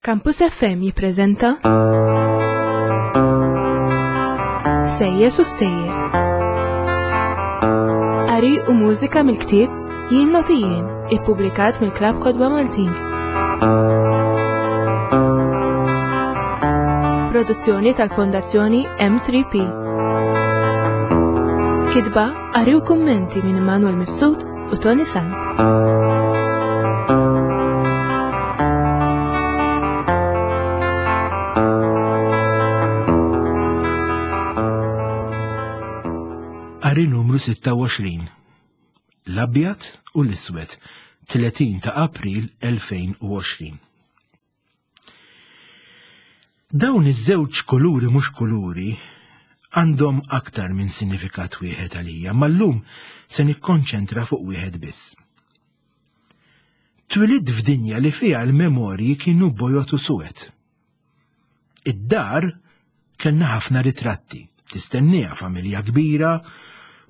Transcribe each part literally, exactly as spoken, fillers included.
Campus F M jippreżenta Sejjes u Stejjer. Qari u mużika mill-ktieb Jien Noti Jien, ippubblikat mill-Klabb Kotba Maltin. Produzzjoni tal-Fondazzjoni M tlieta P. Kitba, qari u kummenti minn Immanuel Mifsud u Toni Sant. Qari numru sitta u għoxrin. L-abjad u l-iswed, tletin ta' April elfejn u għoxrin. Dawn iż-żewġ kuluri mhux kuluri għandhom aktar minn sinifikat wieħed għalija, ma llum se nikkonċentra fuq wieħed biss. Twilidt f'dinja li fiha l-memorji kienu bojod u suwed. Id-dar kellna ħafna ritratti, tistenniha familja kbira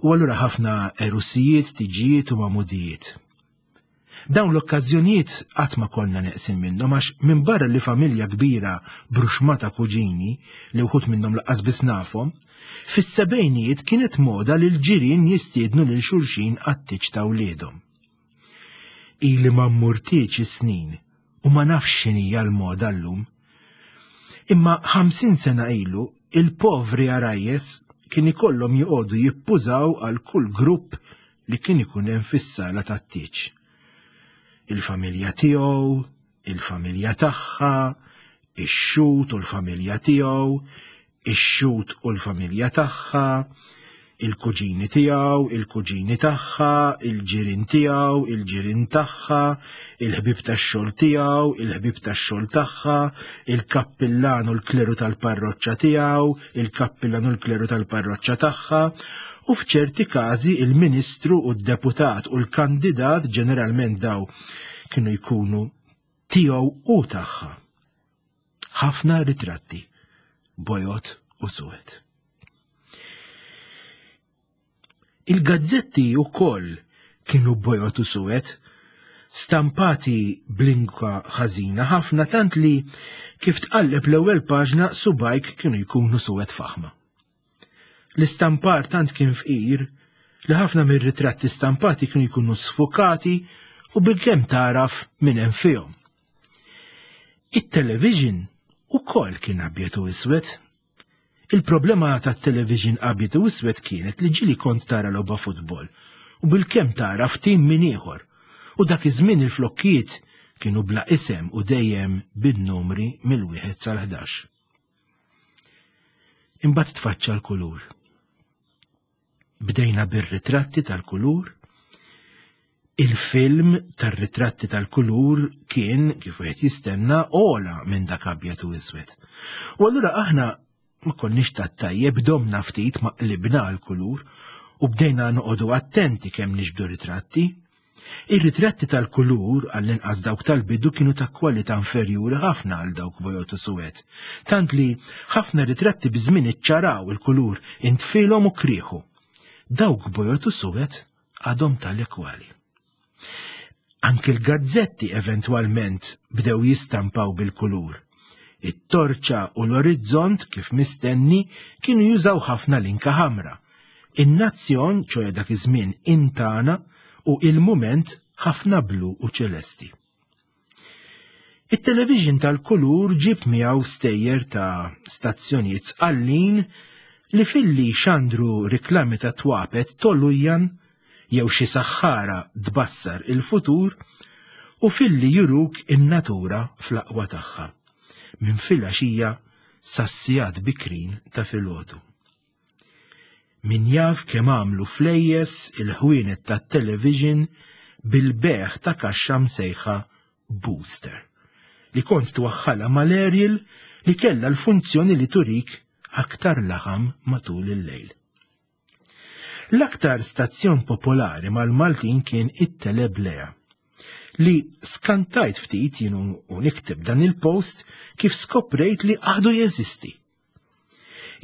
u allura ħafna erusijiet, tiġijiet u magħmudijiet. Dawn l-okkażjonijiet qatt ma konna neqsin minnhom għax minn barra li familja kbira bruxmata kuġini li wħud minnhom lanqas biss nafhom, fis-sebgħinijiet kienet moda li l-ġirien jistiednu lil xulxin għat-tieġ ta' wliedhom. Ili ma mmur tieġ is-snin u ma nafx x'inhija l-moda llum. Imma ħamsin sena ilu il-povri għarajjes kien ikollhom joqogħdu jippużaw għal kull grupp li kien ikun hemm fis-sala tat-tieġ. Il-familja tiegħu, il-familja tagħha, ix-xhud u l-familja tiegħu, ix-xhud u l-familja tagħha, il-kuġini tiegħu, il-kuġini tagħha, il-ġirien tiegħu, il-ġirien tagħha, il-ħbib tax-xogħol tiegħu, il-ħbib tax-xogħol tagħha, il-kappillan u l-kleru tal-parroċċa tiegħu, il-kappillan u l-kleru tal-parroċċa tagħha, u f'ċerti każi il-ministru u d-deputat u l-kandidat, ġeneralment daw kienu jkunu tiegħu u tagħha. Ħafna ritratti, bojod u suwed. Il-gazzetti wkoll kienu bojod u suwed, stampati b'linka ħażina ħafna tant li kif tqalleb l-ewwel paġna subgħajk kienu jkunu suwed faħma. L-istampar tant kien fqir li ħafna mir-ritratti stampati kienu jkunu sfukati u bilkemm taraf min hemm fihom. It-television ukoll kien abjad u iswed. Il-problema tat-television abjad u iswed kienet li ġieli kont tara logħba futbol u bilkemm tara ftim min ieħor. U dak iż-żmien il-flokkijiet kienu bla isem u dejjem bin-numri mill-wieħed sal-ħdax. Imbagħad tfaċċa l-kulur. Bdejna bir-ritratti tal-kulur. Il-film tar-ritratti tal-kulur kien, kif wieħed jistenna, ogħla minn dak abjad u iswed. U allura aħna ma konniex tat-tajjeb, domna ftit ma qlibna l-kulur u bdejna noqogħdu attenti kemm niġbdu ritratti. Ir-ritratti tal-kulur, għall-inqas dawk tal-bidu, kienu ta' kwalità inferjuri ħafna għal dawk bojod u suwed. Tant li ħafna ritratti biż-żmien iċċaraw, il-kulur intfilhom u krieħu. Dawk bojod u suwed għadhom tal-ekwali. Anki l-gazzetti eventwalment bdew jistampaw bil-kulur. It-Torċa u l-Orizzont, kif mistenni, kienu jużaw ħafna linka ħamra. In-Nazzjon, ċoè dak iż-żmien Intana, u Il-Mument ħafna blu u ċelesti. It-television tal-kulur ġib miegħu stejjer ta' stazzjonijiet sqallin li filli xandru riklami ta' twapet tolujjan jew xi saħħara tbassar il-futur u filli juruk in-natura fl-aqwa tagħha minn filgħaxija sas-sigħat bikrin ta' filgħodu. Min jaf kemm għamlu flejjes il-ħwienet tat-television bil-bejgħ ta' kaxxa msejħa booster, li kont twaħħalha mal-aerial li kellha l-funzjoni li turik aktar laħam matul il-lejl. L-aktar stazzjon popolari mal-Maltin kien it-Teleblea, li skantajt ftit jien u nikteb dan il-post kif skoprejt li għadu jeżisti.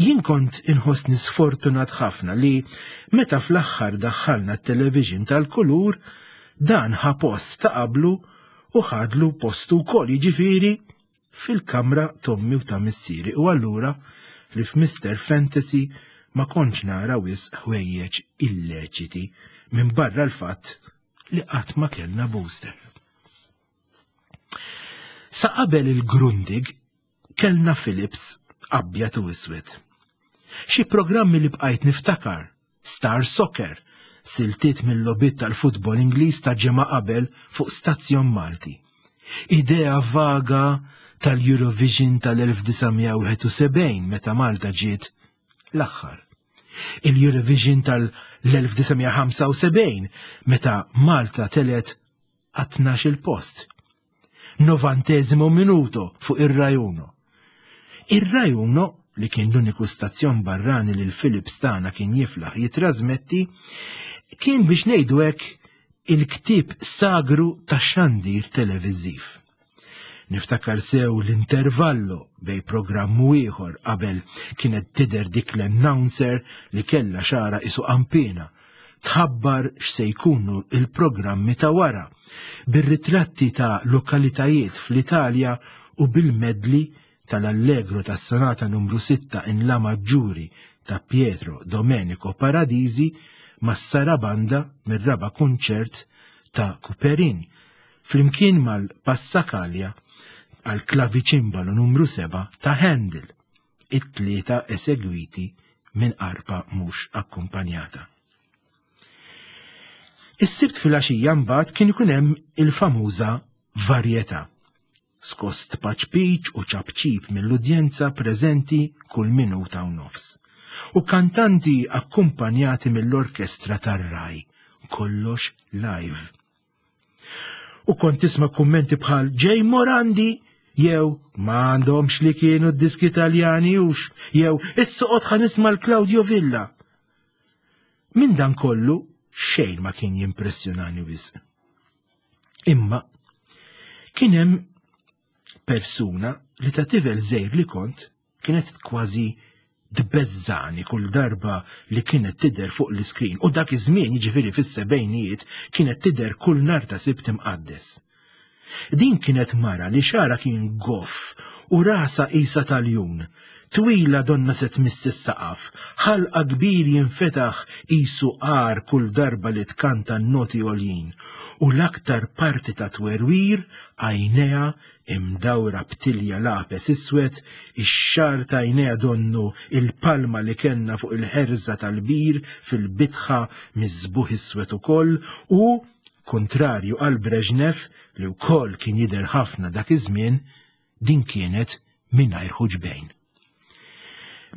Jien kont inħossni sfortunat ħafna li meta fl-aħħar daħħalna t-television tal-kulur, dan ħa post ta' qablu u ħadlu postu wkoll, jiġifieri fil-kamra t'ommi u ta' missieri u allura li f'Mister Fantasy ma kontx nara wisq ħwejjeġ illeċiti minn barra l-fatt li qatt ma kellna booster. Sa qabel il-Grundig kellna Philips abjad u iswed. Xi programmi li bqajt niftakar, Star Soccer, siltiet mill-logħbiet tal-futbol Ingliż ta' ġimgħa qabel fuq stazzjon Malti. Idea vaga tal-Eurovision tal-elf disa' mija wieħed u sebgħin meta Malta ġiet l-aħħar. Il-Eurovision tal-elf disa' mija ħamsa u sebgħin meta Malta telet għat-tnax-il post. Novantesimo minuto fuq ir-Rai Uno. Ir-Rai Uno, li kien l-uniku stazzjon barrani li l-Philips tagħna kien jiflaħ jitrasmetti, kien biex ngħidu hekk il-ktieb sagru ta' xandir televiżiv. Niftakar sew l-intervallo bej programm u ieħor qabel kienet tidher dik l-announcer li kellha xara isu qampina, tħabbar x'se jkunu il-programmi ta' wara, bir-ritratti ta' lokalitajiet fl-Italja u bil-medli tal-Allegro tas-Sonata numru sitta in La Maggiuri ta' Pietro Domenico Paradisi mas-Sarabanda mir-raba' kunċert ta' Couperin, flimkien mal-Passacaglia għal klaviċimbalo numru seba' ta' Handel, it-tlieta esegwiti minn arpa mhux akkumpanjata. Is-Sibt filgħaxija mbagħad kien ikun hemm il-famuża varjetà. Skost paċpiċ u ċapċip mill-udjenza preżenti kull minuta u nofs. U kantanti akkumpanjati mill-orkestra tar-Rai, kollox live. U kont tisma' kummenti bħal Ġej Morandi, jew ma għandhomx li kienu d-diski Taljani hux, jew issa qod ħa nisma' l-Claudio Villa. Minn dan kollu xejn ma kien jimpressjonani wisq. Imma kien hemm persuna li ta' tifel żgħir li kont kienet kważi tbeżżani kull darba li kienet tidher fuq l-iskrin, u dak iż-żmien, jiġifieri fis-sebgħinijiet, kienet tidher kull nhar ta' Sibt imqaddes. Din kienet mara li xara kien goff u rasa qisha tal-jun, twila donna se tmiss is-saqaf, ħalqa kbir jinfetaħ qisu qar kull darba li tkanta n-noti għoljin, u l-aktar parti ta' twerwir għajnejha imdawra b'tilja lapes iswed, ix-xagħar ta' għajnejha donnu il-palma li kellna fuq il-ħerża tal-bir fil-bitħa miżbuħ iswed ukoll, u kontrarju għal Brezhnev li wkoll kien jidher ħafna dak iż-żmien, din kienet mingħajr ħuġbejn.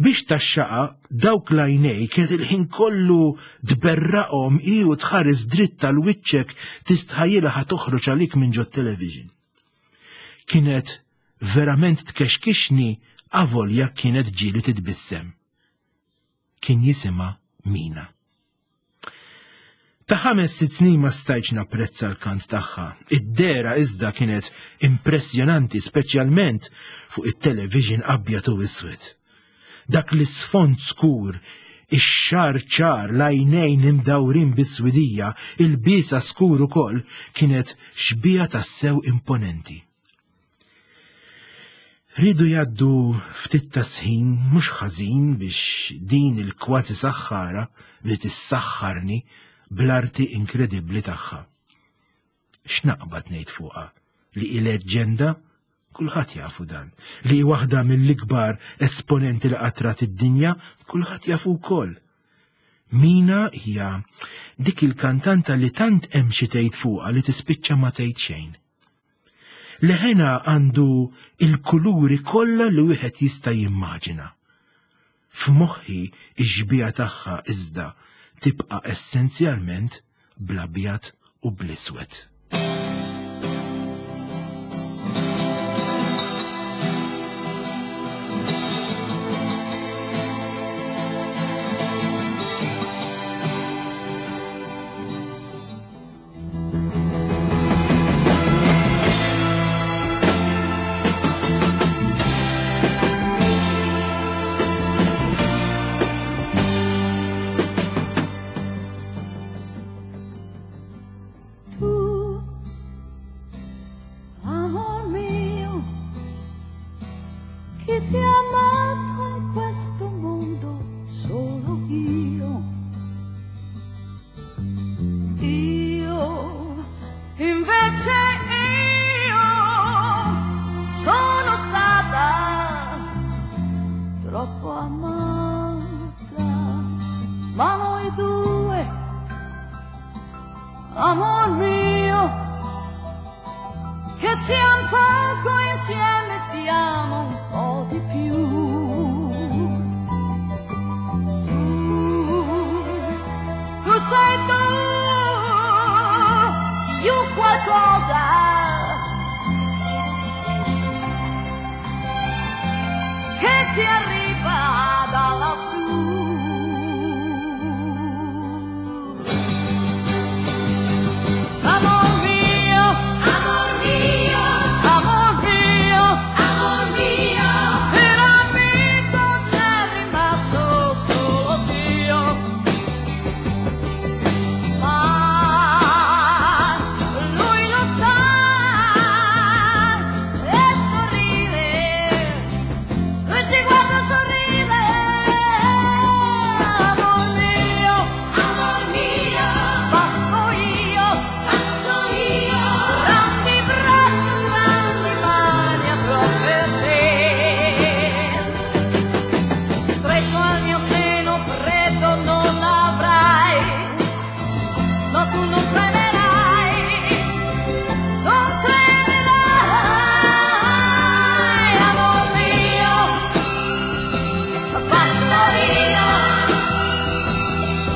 Biex taxxaqa dawk l-għajnej kienet il-ħin kollu tberraqhom hi u tħares dritt tal-wiċċek tistħajjilha ħa toħroġ għalik minn ġot-television. Kienet verament tkexkixni avolja kienet ġieli titbissem. Kien jisimha Mina. Ta' ħames sitt snin ma stajtx napprezza l-kant tagħha. Id-dera iżda kienet impressjonanti, speċjalment fuq it-television abjad u iswed. Dak l-isfond skur, ix-xagħar ċar, l-għajnejn imdawrin bis-swidija, il-biesa skur ukoll, kienet xbieha tassew imponenti. Ridu jgħaddu ftit ta' sħin mhux ħażin biex din il-kważi saħħara li tissaħħarni bl-arti inkredibbli tagħha. X'naqbad ngħid fuqha li hi leġġenda? Kulħadd jafu dan. Li hi waħda mill-ikbar esponenti li qatrat id-dinja, kulħadd jafu wkoll. Mina hija dik il-kantanta li tant hemm xi tgħid fuqha li tispiċċa ma tgħid xejn. Leħena għandu il-kuluri kollha li wieħed jista' jimmaġina. F'moħħi ix-xbieha tagħha iżda tibqa' essenzjalment bl-abjad u bl-iswed. Tu Chi ti ha amato in questo mondo? Solo io. Io, invece io, sono stata troppo amata, ma noi due, amor mio, che siamo poco insieme, siamo un po' di più. Tu, tu sei tu, io qualcosa che ti arriva da lassù. Amor mio, amor mio, amor mio, amor mio, per amico c'è rimasto solo Dio. Ma lui lo sa e sorride, lui ci guarda e sorride. Amor mio, amor mio, basto io, basto io, grandi braccia, grandi mani avrò per te. Stretto al mio seno freddo non avrai, no tu non tremerai, non tremerai, amor mio, basto io.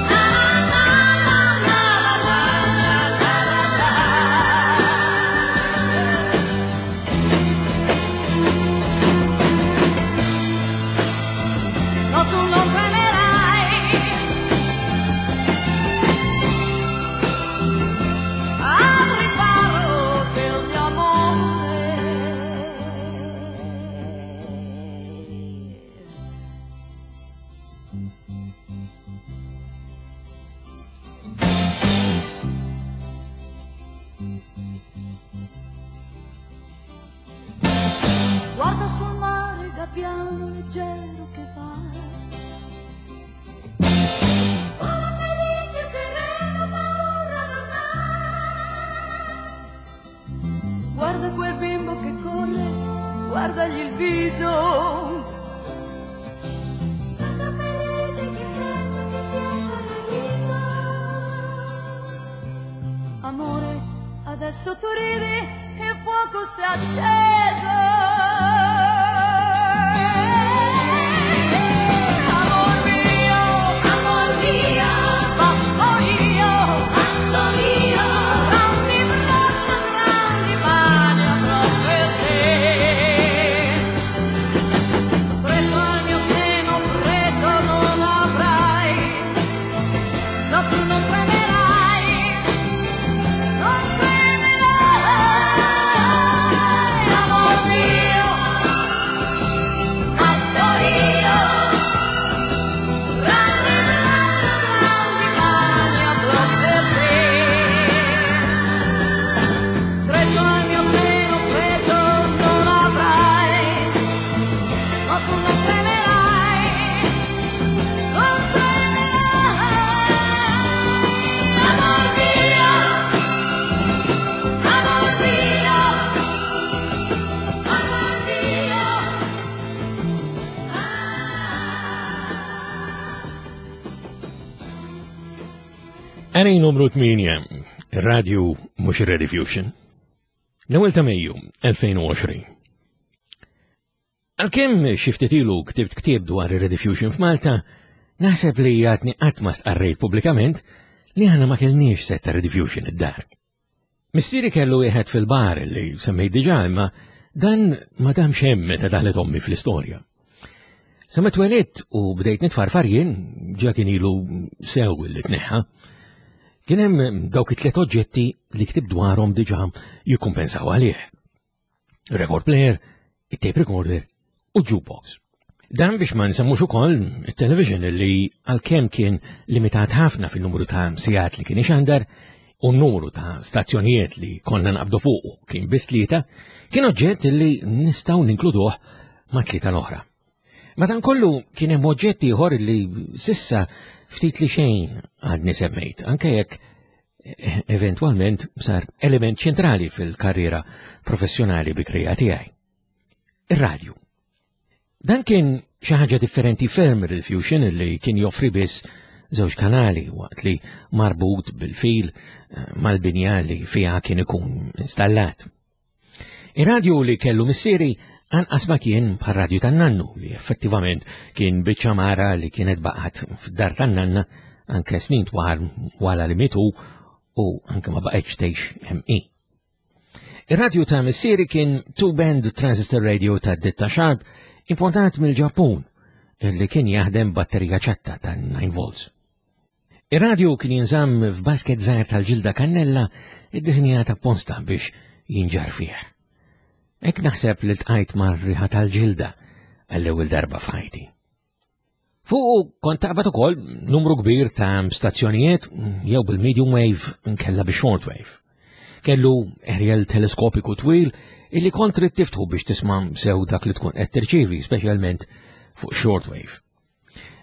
Na na na na na na na na. No, tu non tremerai. Al riparo del mio amore. Guarda sul mare gabbiano leggero che va. Vola felice, sereno, paura non ha. Guarda quel bimbo che corre, guardagli il viso. Tanto felice che sembra che sia in paradiso. Amore, adesso tu ridi e il fuoco si è acceso. Amor mio, amor mio, basto io, basto io, grandi braccia, grandi mani avrò per te. Stretto al mio seno freddo non avrai, no tu non tremerai, non tremerai, amor mio, basto io, grandi braccia, grandi mani avrò per te. Stretto al mio seno freddo non avrai, ma tu non tremerai, non tremerai, amor mio, amor mio, amor mio. Għanej numru tmienja, radio mux Rediffusion. L-ewwel ta' Mejju elfejn u għoxrin. Għalkemm xi ftit ilu ktibt ktieb dwar ir-Rediffusion f'Malta, naħseb li għadni qatt ma stqarrejt pubblikament li aħna ma kellniex set ta' Rediffusion id-dar. Missieri kellu wieħed fil-bar li semmejt diġà, imma dan ma damx hemm meta daħlet ommi fl-istorja. Sa ma twelidt u bdejt nitfarfar jien, ġa kien ilu sew li tneħħa, kien hemm dawk it-tliet oġġetti li ktib dwarhom diġà jikkumpensaw għalih. Record player, it-tape recorder u jukebox. Dan biex ma nsemmux ukoll it-television li għalkemm kien limitat ħafna fin-numru ta' sigħat li kien ixandar u n-numru ta' stazzjonijiet li konna naqbdu fuqu kien biss tlieta, kien oġġett li nistgħu ninkluduh ma' tlieta l-oħra. Madankollu kien hemm oġġett ieħor li sissa ftit li xejn għadni semmejt, anke jekk eventwalment sar element ċentrali fil-karriera professjonali bikrija tiegħi. Ir-radju. Dan kien xi ħaġa differenti ferm il-Fusion li kien joffri biss żewġ kanali waqt li marbut bil-fil mal-binja li fiha kien ikun installat. Ir-radju li kellu missieri anqas ma kien bħar-radju tan-nannu li effettivament kien biċċa mara li kienet baqgħet fid-dar tan-nanna anke snin twal wara li mitu u anke ma baqgħetx tgħix hemm hi. Ir-radju ta' missieri kien two-band transistor radio ta' ditta Sharp importat mill-Ġappun li kien jaħdem batterija ċatta ta' nine volts. Ir-radju kien jinżamm f'basket żgħir tal-ġilda kannella iddisinjata apposta biex jinġar fih. Hekk naħseb li ltqajt mar-riħa tal-ġilda għall-ewwel darba f'ħajti. Fuq kont taqbad ukoll numru kbir ta' stazzjonijiet jew bil-medium wave nkella bi-short wave. Kellu aerial teleskopiku twil illi kont trid tiftħu biex tisma' sew dak li tkun qed tirċievi, speċjalment fuq short wave.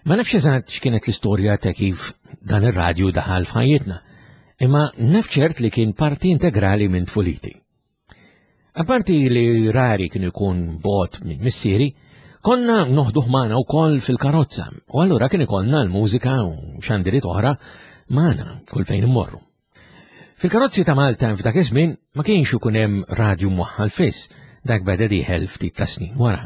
Ma nafx eżatt x'kienet l-istorja ta' kif dan ir-radju daħal f'ħajjitna, imma naf ċert li kien parti integrali minn tfuliti. Apparti li rari kien ikun bot minn missieri, konna noħduh magħna wkoll fil-karozza, u allura kien ikollna l-mużika u xandiriet oħra magħna kull fejn immorru. Fil-karozzi ta' Malta f'dak iż-żmien ma kienx ikun hemm radju mwaħħal fiss, dak beda dieħel ftit ta' snin wara.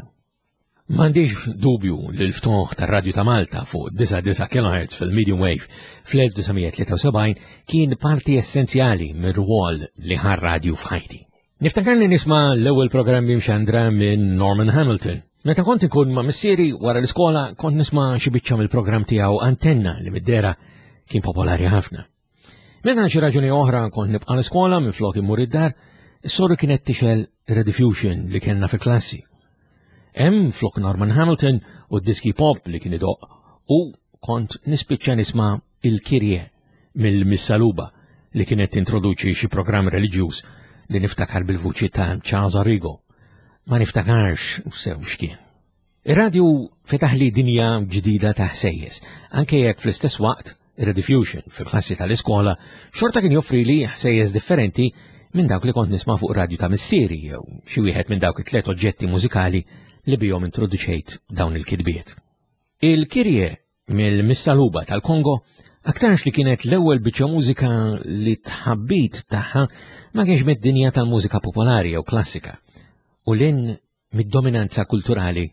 M'għandix dubju li l-ftuħ tar-radju ta' Malta fuq disa' disa' kilohertz fil-medium wave fl-elf disa' mija tlieta u sebgħin kien parti essenzjali mir-rwol li ħa r-radju f'ħajti. Niftakarni nisma' l-ewwel programmi mxandra minn Norman Hamilton. Meta kont inkun ma' missieri wara l-iskola kont nisma' xi biċċa mill-programm tiegħu Antenna li mid-dera kien popolari ħafna. Meta xi raġuni oħra kont nibqa' l-iskola minflok immur id-dar, is-soru kienet tixgħel Rediffusion li kellna fil-klassi. Hemm flok Norman Hamilton u d-diski pop li kien idoqq u kont nispiċċa nisma' il-Kirje mill-Missaluba li kienet tintroduċi xi programm reliġjuż li niftakar bil-vuċi ta' Charles Arrigo. Ma niftakarx sew x'kien. Ir-radju fetaħ li dinja ġdida ta' ħsejjes, anke jekk fl-istess waqt ir-Rediffusion fil-klassi tal-iskola xorta kien joffri li ħsejjes differenti minn dawk li kont nisma' fuq radju ta' missieri jew xi wieħed minn dawk it-tliet oġġetti mużikali li bihom introduċejt dawn il-kitbiet. Il-Kirje mill-Missaluba tal-Kongo aktarx li kienet l-ewwel biċċa mużika li tħabbit tagħha ma kienx mid-dinja tal-mużika popolari jew klassika u lin mid-dominanza kulturali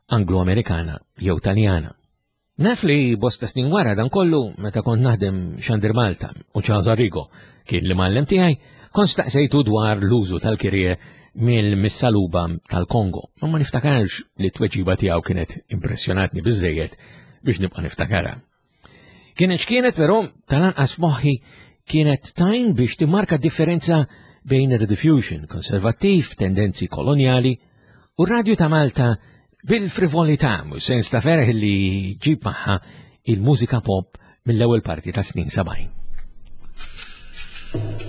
Anglo-Amerikana jew Taljana. Naf li bosta snin wara dan kollu meta kont naħdem Xandir Malta u Charles Arrigo kien li mgħallem tiegħi, kont staqsejtu dwar l-użu tal-Kirje mill-Missaluba tal-Kongo, ma ma niftakarx li t-tweġiba tiegħu kienet impressjonatni biżżejjed biex nibqa' niftakarha. Kienet x'kienet però tal-anqas f'moħħi kienet tajn biex timmarka differenza bejn ir-Rediffusion konservattiv, tendenzi kolonjali u r-radju ta' Malta bil-frivolità u sens ta' ferħ li ġib magħha il-mużika pop mill-ewwel parti ta' snin sebgħin. Yeah.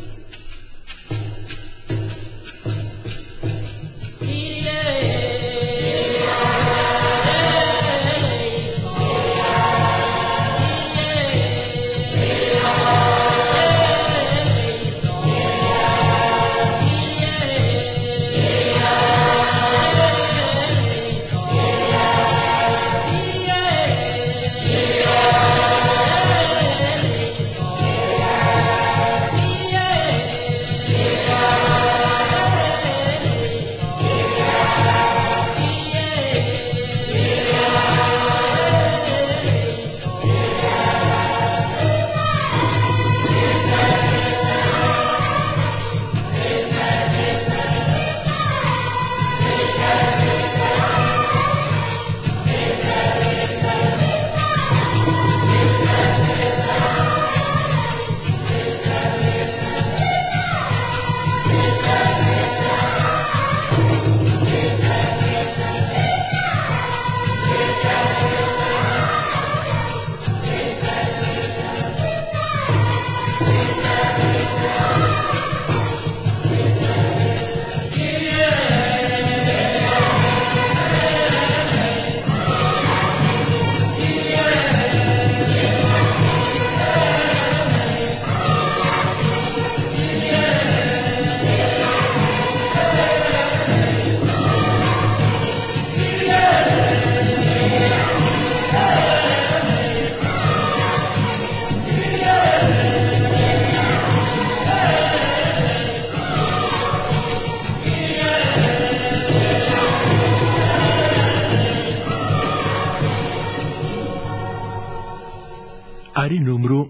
Qari numru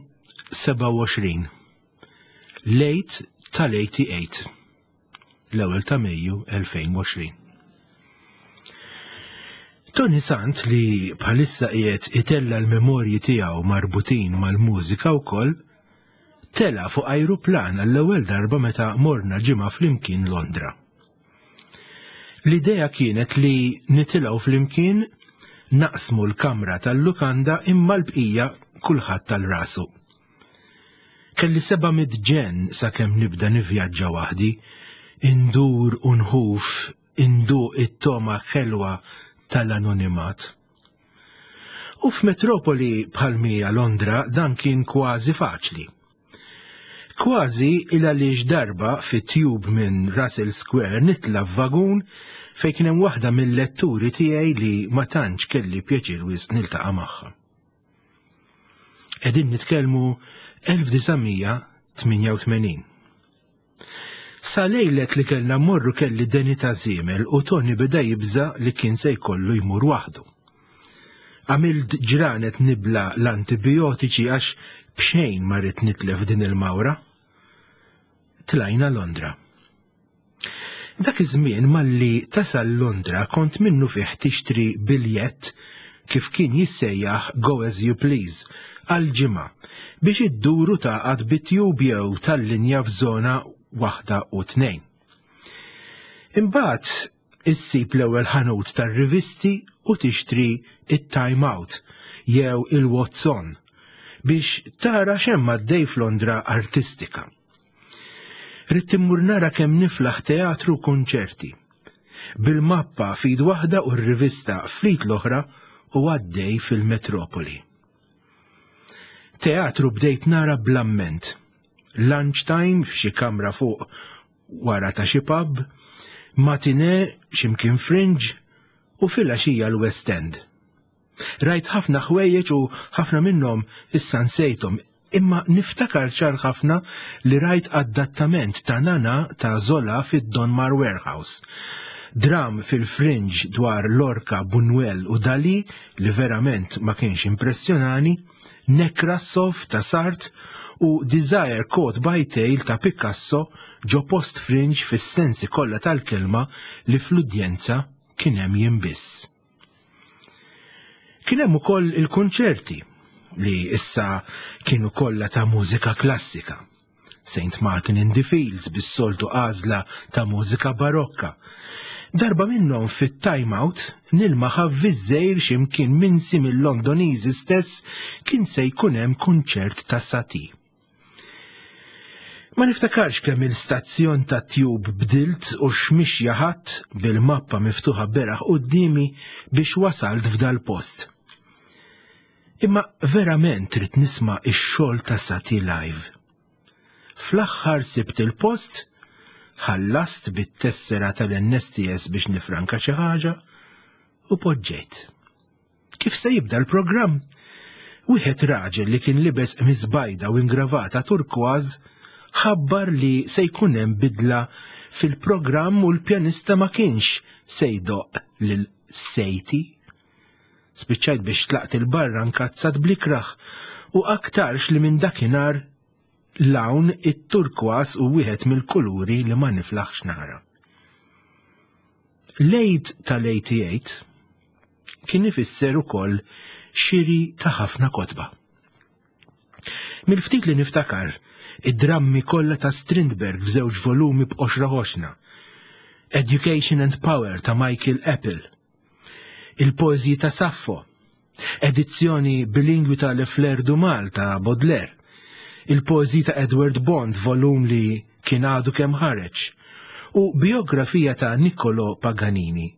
sebgħa u għoxrin. L-Għid tal-tmienja u tmenin. L-ewwel ta' Mejju elfejn u għoxrin. Toni Sant, li bħalissa qiegħed itella l-memorji tiegħu marbutin mal-mużika wkoll, tela fuq ajruplan għall-ewwel darba meta morna ġimgħa flimkien Londra. L-idea kienet li nitilgħu flimkien, naqsmu l-kamra tal-lukanda, imma l-bqija kulħadd għal rasu. Kelli seba' mitt ġenn sakemm nibda nivvjaġġa waħdi, indur u nħuf, induq it-togħma ħelwa tal-anonimat. U f'metropoli bħal mija Londra dan kien kważi faċli. Kważi il għaliex darba fi tube minn Russell Square nitla f'vagun fejn kien hemm waħda mill-letturi tiegħi li ma tantx kelli pjaċir wisq niltaqa' magħha. Qegħdin nitkellmu elf disa' mija tmienja u tmenin. Sa lejlet li kellna mmorru kelli deni ta' żiemel u Toni beda jibża li kien se jkollu jmur waħdu. Għamilt ġranet nibla l-antibiotiċi għax bxejn ma ridt nitlef din il-mawra. Tlajna Londra. Dak iż-żmien malli tasal Londra kont minnu fih tixtri biljett, kif kien jissejjaħ "Go as you please", għal ġimgħa biex idduru taqgħad bit-tube jew tal-linja f'żona waħda u tnejn. Imbagħad issib l-ewwel ħanut tar-rivisti u tixtri it-Time Out jew il-What's On biex tara x'hemm għaddej f'Londra artistika. Ridt immur nara kemm niflaħ teatru, konċerti. Bil-mappa f'id waħda u r-rivista fl-id l-oħra u għaddej fil-metropoli. Teatru bdejt nara bl-amment. Lunchtime f'xi kamra fuq wara ta' xi pub, matinee x'imkien fringe u filgħaxija l-West End. Rajt ħafna ħwejjeġ u ħafna minnhom issa nsejthom, imma niftakar ċar ħafna li rajt adattament ta' Nana ta' Zola fid-Donmar Warehouse. Dram fil-Fringe dwar Lorca, Buñuel u Dali li verament ma kienx impressjonani, Nekrasov ta' Sartre u Desire Caught by Tail ta' Picasso ġo post fringe fis-sensi kollha tal-kelma li fl-udjenza kien hemm jien biss. Kien hemm ukoll il-konċerti li issa kienu kollha ta' mużika klassika. Saint Martin in the Fields bis-soltu għażla ta' mużika barokka. Darba minnhom fit-Time Out nilmaħ avviż x'imkien minsi mill-Londoniżi stess kien se jkun hemm kunċert ta' Satie. Ma niftakarx kemm il-stazzjon ta' tube bdilt u x'mixja ħadt bil-mappa miftuħa beraħ quddiemi biex wasalt f'dal post. Imma verament ridt nisma' ix-xogħol ta' Satie live. Fl-aħħar sibt il-post, ħallast bit-tessera tal-N S T S biex nifranka xi ħaġa u poġġejt. Kif se jibda l-programm? Wieħed raġel li kien libes qmis bajda u ingravata turkważ ħabbar li se jkun hemm bidla fil-programm u l-pjanista ma kienx se jdoqq lil Satie. Spiċċajt biex tlaqt 'il barra nkazzat bl-ikrah u aktarx li minn dakinhar 'l hawn it-turkwas hu wieħed mill-kuluri li ma niflaħx nara. L-Għid tal-tmienja u tmenin kien ifisser ukoll xiri ta' ħafna kotba. Mill-ftit li niftakar, id-drammi kollha ta' Strindberg f'żewġ volumi b'qoxra ħoxna, Education and Power ta' Michael Apple, il-poeżiji ta' Saffo, edizzjoni bilingwi ta' Les Fleurs du Mal ta' Baudelaire, il-poeżiji ta' Edward Bond, volum li kien għadu kemm ħareġ, u biografija ta' Niccolo Paganini,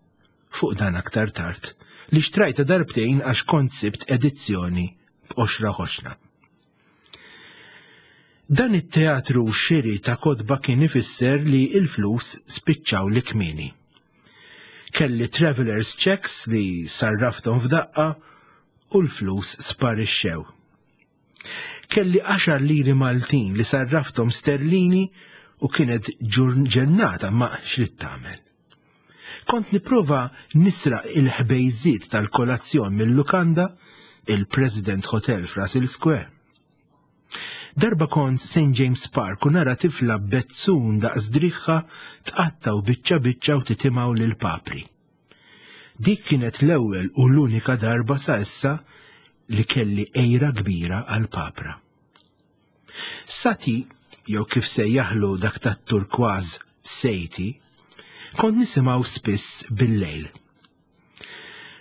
fuq dan aktar tard, li xtrajta darbtejn għax kont sibt edizzjoni b'qoxra ħoxna. Dan it-teatru xiri ta' kotba kien ifisser li il-flus spiċċaw li kmieni. Kelli travelers checks li sarraftom f'daqqa u l-flus sparixxew. Kelli għaxar liri Maltin li sarraftom sterlini u kienet ġurnata, ma x'ridt tagħmel. Kont nipprova nisraq il-ħbejżiet tal-kolazzjon mill-lukanda, il-President Hotel f'Russell Square. Darba kont Saint James Park u nara tifla bezzun daqs driħħa tqattaw biċċa biċċa u titimgħu lil papri. Dik kienet l-ewwel u l-unika darba sa issa li kelli għira kbira għal papra. Sati, jew kif sejjaħlu dak tat-turkważ Sejti, kont nisimgħu spiss bil-lejl.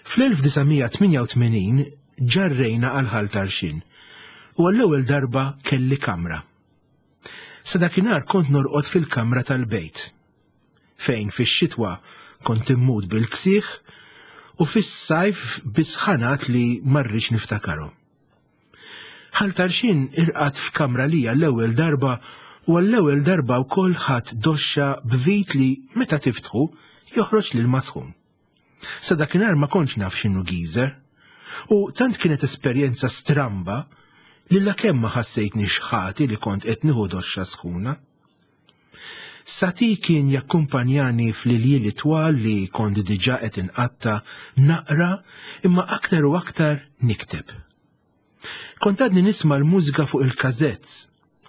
fl-elf disa' mija tmienja u tmenin ġarrejna għal Ħal Tarxien u għall-ewwel darba kelli kamra. Sa dakinhar kont norqod fil-kamra tal-bejt, fejn fix-xitwa kont immut bil-ksieħ u fis-sajf bisħanat li marriċ niftakarhom. Ħal Tarxien irqad f'kamra lija l-ewwel darba u għall-ewwel darba wkoll ħadd doxxa b'vit li meta tiftħu joħroġ lil masħun. Sa dakinhar ma kontx naf x'inhu geyser, u tant kienet esperjenza stramba li lakemm ma ħassejtni xħati li kont qed nieħu doxxa sħuna. Sati kien jakkumpanjani fl-iljieli twal li kont diġà qed inqatta naqra imma aktar u aktar nikteb. Kont għadni nisma' l-mużika fuq il-kazetz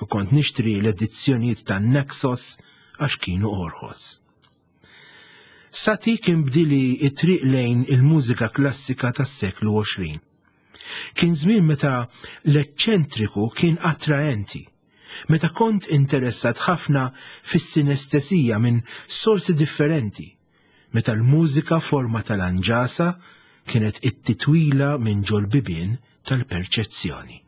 u kont nixtri l-edizzjonijiet ta' Naxos għax kienu orħos. Sati kien bdili it-triq lejn il-mużika klassika tas-seklu għoxrin. Kien żmien meta l-eċċentriku kien attraenti, meta kont interessat ħafna fis-sinestesija minn sorsi differenti, meta l-mużika forma tal-anġasa kienet it-titwila minn ġol-bibien tal-perċezzjoni.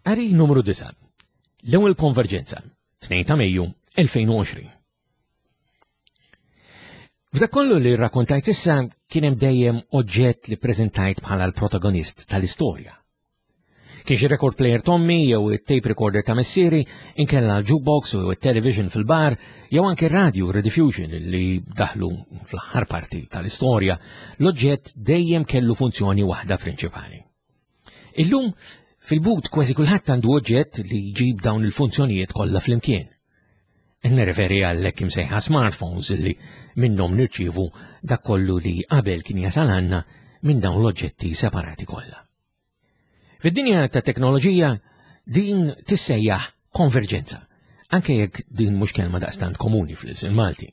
Qari numru disgħa. L-ewwel konverġenza, tnejn ta' Mejju elfejn u għoxrin. F'dak kollu li rrakkontajt issa kien hemm dejjem oġġett li preżentajt bħala l-protagonist tal-istorja. Kien xi record player tommi jew it-tape recorder ta' missieri, inkella l-jukebox u it-television fil-bar, jew anke radio rediffusion li daħlu fl-aħħar parti tal-istorja, l-oġġett dejjem kellu funzjoni waħda prinċipali. Illum fil-but kważi kulħadd għandu oġġett li jġib dawn il-funzjonijiet kollha flimkien. Nirreferi għal hekk imsejħa smartphones li minnhom nirċievu dak kollu li qabel kien jasal għandna minn dawn l-oġġetti separati kollha. Fid-dinja ta' teknoloġija din tissejjaħ konverġenza, anke jekk din mhux kelma daqstant komuni fl-ilsien Malti.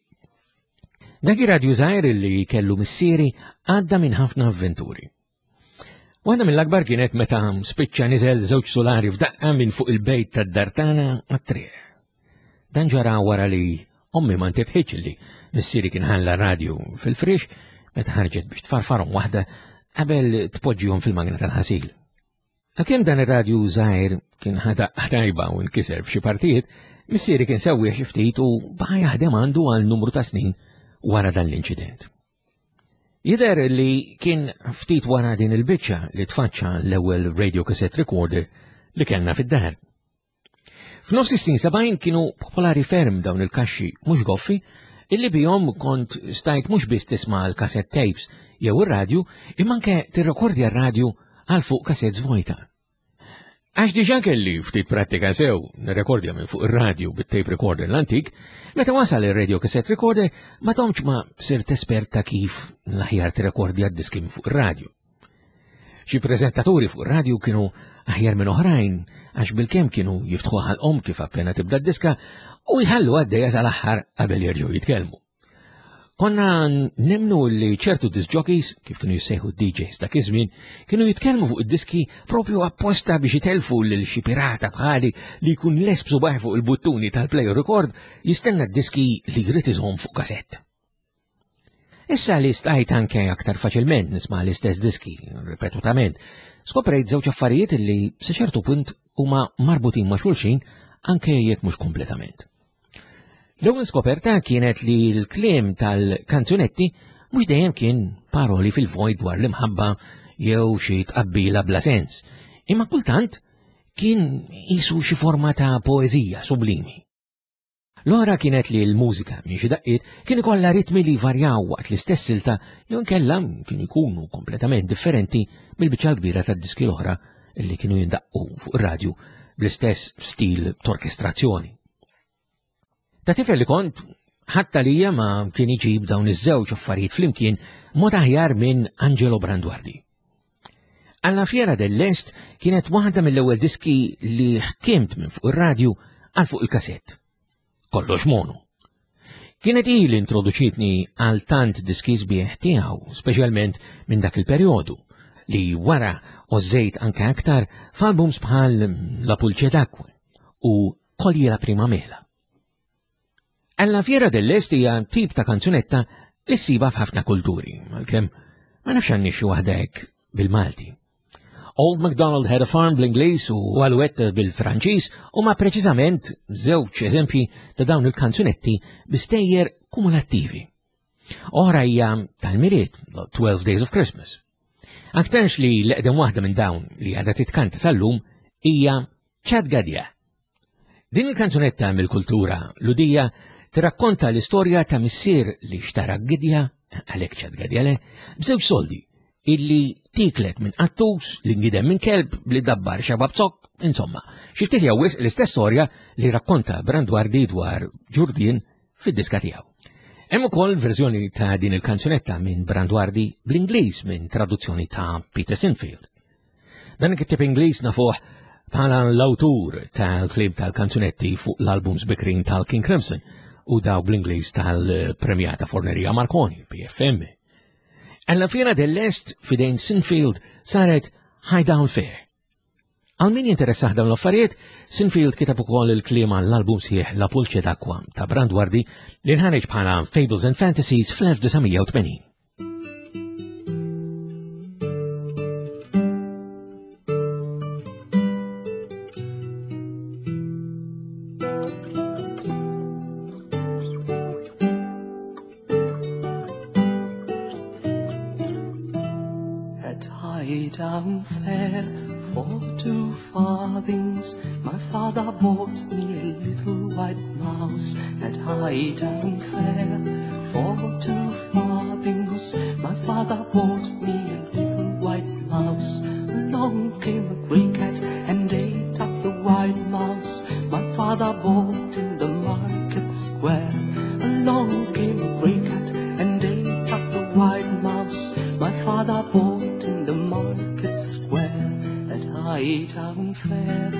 Dak ir-radju żgħir li kellu missieri għadda minn ħafna avventuri. Waħda mill-akbar kienet meta spiċċa niżel żewġ solari f'daqqa minn fuq il-bejt tad-dar tagħna għat-triq. Dan ġara wara li ommi ma ntebħitx li missieri kien ħalla radju fil-frix meta ħarġet biex tfarfarhom waħda qabel tpoġġihom fil-magna tal-ħasil. Għalkemm dan ir-radju żgħir kien ħada tajba u nkiser f'xi partijiet, missieri kien sewwieħ xi ftit u baqa' jaħdem għandu għal numru ta' snin wara dan l-inċident. Jidher li kien ftit wara din il-biċċa li tfaċċa l-ewwel radio cassette recorder li kellna fid-dar. F'nofs is-snin sebgħin kienu popolari ferm dawn il-kaxxi mhux goffi illi bihom kont stajt mhux biss tisma' l-cassette tapes jew ir-radju, imma anke tirrekordja r-radju għal fuq cassettes vojta. Għax diġà kelli ftit prattika sew nirrekordja minn fuq ir-radju bit-tape recorder l-antik, meta wasal ir-radio cassette recorder ma tomx ma sirt espert ta' kif l-aħjar tirrekordja d-diski minn fuq ir-radju. Xi preżentaturi fuq ir-radju kienu aħjar minn oħrajn għax bilkemm kienu jiftħu ħalqhom kif appena tibda d-diska u jħallu għaddejja sal-aħħar qabel jerġgħu jitkellmu. Konna nemnu li ċertu disc jockeys, kif kienu jissejħu D Js dak iż-żmien, kienu jitkellmu fuq id-diski propju apposta biex jitelfu lil xi pirata bħali li jkun lesb subaħ fuq il-buttuni tal-play record jistenna d-diski li jrid iżomm fuq kasett. Issa li stajt anke aktar faċilment nisma' l-istess diski ripetutament, skoprejt żewġ affarijiet li sa ċertu punt huma marbutin ma' xulxin anke jekk mhux kompletament. L-ewwel skoperta kienet li l-kliem tal-kanzunetti mhux dejjem kien paroli fil-vojt dwar l-imħabba jew xi tqabbila bla sens, imma kultant kien qisu xi forma ta' poeżija sublimi. L-oħra kienet li l-mużika minn xi daqqiet kien ikollha ritmi li varjaw waqt l-istess silta jew inkella kien ikunu kompletament differenti mill-biċċa l-kbira tad-diski l-oħra li kienu jindaqqu fuq ir-radju bl-istess stil t'orkestrazzjoni. Ta' tifel li kont, ħadd għalija ma kien iġib dawn iż-żewġ affarijiet flimkien mod aħjar minn Angelo Branduardi. Alla Fiera dell'Est kienet waħda mill-ewwel diski li ħkimt minn fuq ir-radju għal fuq il-kasett. Kollox mono. Kienet hi li introduċitni għal tant diski sbieħ tiegħu, speċjalment minn dak il-perjodu, li wara ożżejt anke aktar f'albums bħal La Pulce d'acqua u Cogli la prima mela. Alla Fiera dell'Est hija tip ta' kanzunetta li ssiba f'ħafna kulturi, għalkemm ma nafx għandni xi waħda hekk bil-Malti. Old MacDonald Had a Farm bl-Ingliż u Alouette bil-Franċiż huma preċiżament żewġ eżempji ta' dawn il-kanzunetti bi stejjer kumulattivi. Oħra hija tal-Milied, The Twelve Days of Christmas. Aktarx li l-eqdem waħda minn dawn li għadha titkanta sal-lum hija Chad Gadya. Din il-kanzunetta mill-kultura Lhudija tirrakkonta l-istorja ta' missier li xtara gidja, għalhekk Chad Gadya le, b'żewġ soldi illi tiklet minn qattus li ngidem minn kelb li dabbar xabab zokk, insomma, xi ftit jew wisq l-istess storja li rakkonta Branduardi dwar Ġurdien fid-diska tiegħu. Hemm ukoll verżjoni ta' din il-kanzunetta minn Branduardi bl-Ingliż minn traduzzjoni ta' Peter Sinfield. Dan il-kittieb Ingliż nafuh bħala l-awtur tal-kliem tal-kanzunetti fuq l-albums bikrin tal-King Crimson u daw bl-Ingliż tal-premjata Forneria Marconi, P F M. Alla Fiera dell'Est fidejn Sinfield saret Highdown Fair. Għal min jinteressah dawn l-affarijiet, Sinfield kitab ukoll il-kliem għall-album sħiħ La Pulce d'acqua ta' Branduardi li nħareġ bħala Fables and Fantasies fl-elf disa' mija u tmenin. Hightown Fair for two farthings. My father bought me a little white mouse at Hightown Fair for two farthings. My father bought me a little white mouse. Along came a grey cat and ate up the white mouse my father bought in the market square. Along came a grey cat and ate up the white mouse my father bought in the market square at Hightown Fair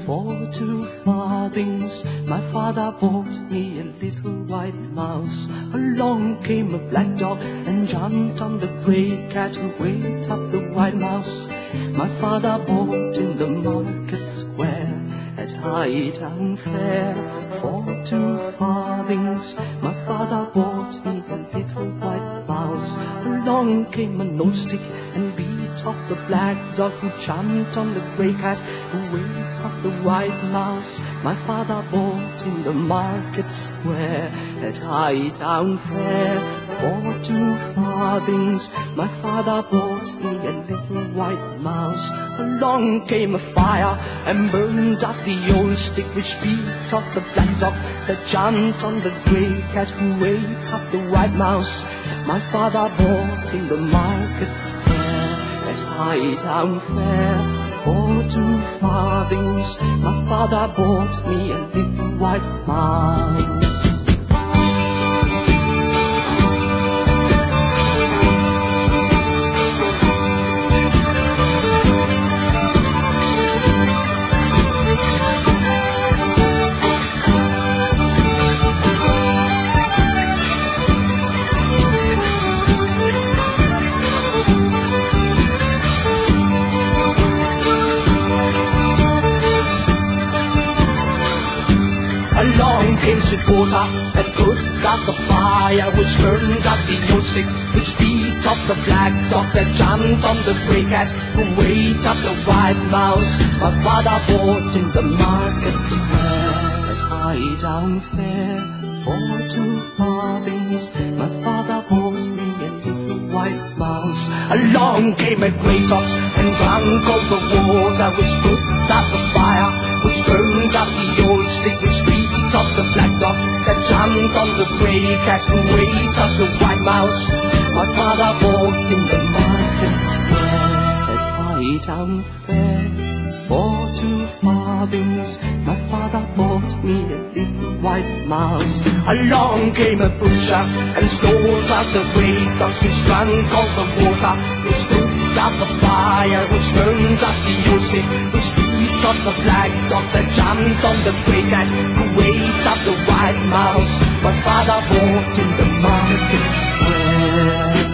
for two farthings. My father bought me a little white mouse. Along came a black dog and jumped on the grey cat who ate up the white mouse my father bought in the market square at Hightown Fair for two farthings. My father bought me a little white mouse. Along came an old stick and beat off the black dog who jumped on the grey cat who ate up the white mouse my father bought in the market square at Hightown Fair for two farthings. My father bought me a little white mouse. Along came a fire and burned up the old stick which beat off the black dog that jumped on the grey cat who ate up the white mouse my father bought in the market square at Hightown Fair for two farthings. My father bought me a little white mouse. Along came swift water and put out the fire which burned up the old stick, which beat up the black dog that jumped on the grey cat who ate up the white mouse my father bought in the market square at Hightown Fair for two farthings. My father bought me a little white mouse. Along came a grey ox and drank all the water which put out the fire, which burned up the old stick, which beat up the black dog that jumped on the grey cat who ate up the white mouse my father bought in the market square at Hightown Fair for two farthings. My father bought me a little white mouse. Along came a butcher and slaughtered the grey dogs which drank all the water, which put out the fire, which burned up the old stick, which beat up the black dog that jumped on the grey cat who ate up the white mouse my father bought in the market square.